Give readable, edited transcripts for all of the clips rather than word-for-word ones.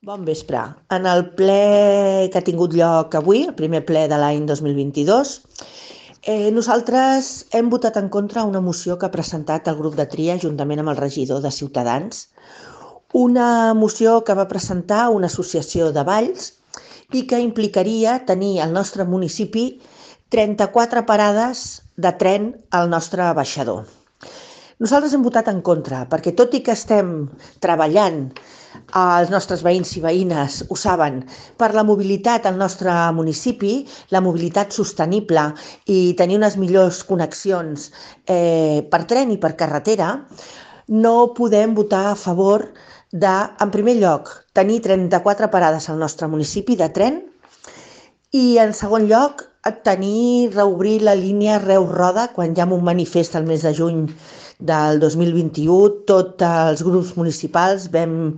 Bon vespre. En el ple que ha tingut lloc avui, el primer ple de l'any 2022, nosaltres hem votat en contra una moció que ha presentat el grup de tria juntament amb el regidor de Ciutadans, una moció que va presentar una associació de valls i que implicaria tenir al nostre municipi 34 parades de tren al nostre baixador. Nosaltres hem votat en contra, perquè tot i que estem treballant, els nostres veïns i veïnes ho saben, per la mobilitat al nostre municipi, la mobilitat sostenible i tenir unes millors connexions per tren i per carretera, no podem votar a favor de, en primer lloc, tenir 34 parades al nostre municipi de tren i, en segon lloc, reobrir la línia Reus-Roda quan hi ha un manifest al mes de juny del 2021. Tots els grups municipals vam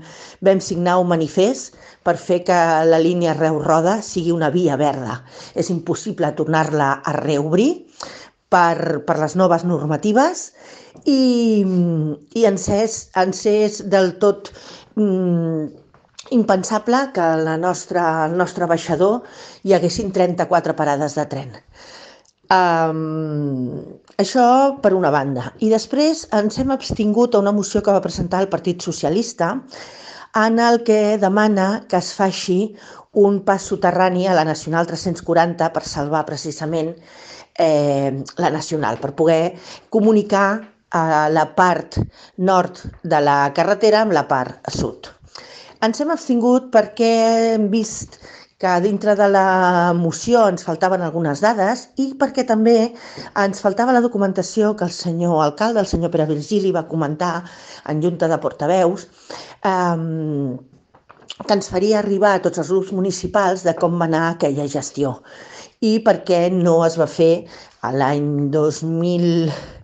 signar un manifest per fer que la línia Reus-Roda sigui una via verda. És impossible tornar-la a reobrir per les noves normatives i ens és del tot impensable que al nostre baixador hi haguessin 34 parades de tren. Això per una banda. I després ens hem abstingut a una moció que va presentar el Partit Socialista en el que demana que es faci un pas soterrani a la Nacional 340 per salvar precisament la Nacional, per poder comunicar la part nord de la carretera amb la part sud. Ens hem abstingut perquè hem vist que dintre de la moció ens faltaven algunes dades i perquè també ens faltava la documentació que el senyor alcalde, el senyor Pere Virgili, va comentar en junta de portaveus, que ens faria arribar a tots els grups municipals de com va anar aquella gestió i per què no es va fer l'any 2005,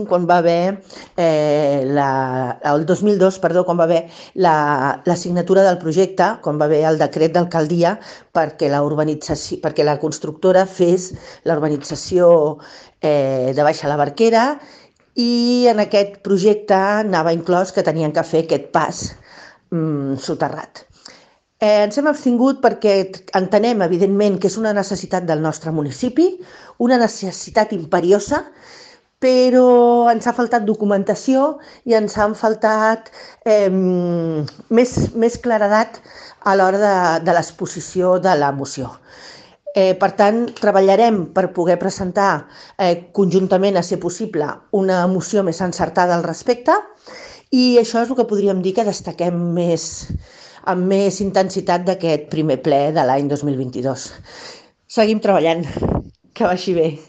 quan va haver el 2002, perdó, quan va haver la signatura del projecte, quan va haver el decret d'alcaldia perquè la constructora fes la urbanització de Baixa la Barquera, i en aquest projecte anava inclòs que tenien que fer aquest pas soterrat. Ens hem abstingut perquè entenem, evidentment, que és una necessitat del nostre municipi, una necessitat imperiosa, però ens ha faltat documentació i ens han faltat més claredat a l'hora de l'exposició de la moció. Per tant, treballarem per poder presentar conjuntament, a ser possible, una moció més encertada al respecte, i això és el que podríem dir que destaquem amb més intensitat d'aquest primer ple de l'any 2022. Seguim treballant. Que vagi bé.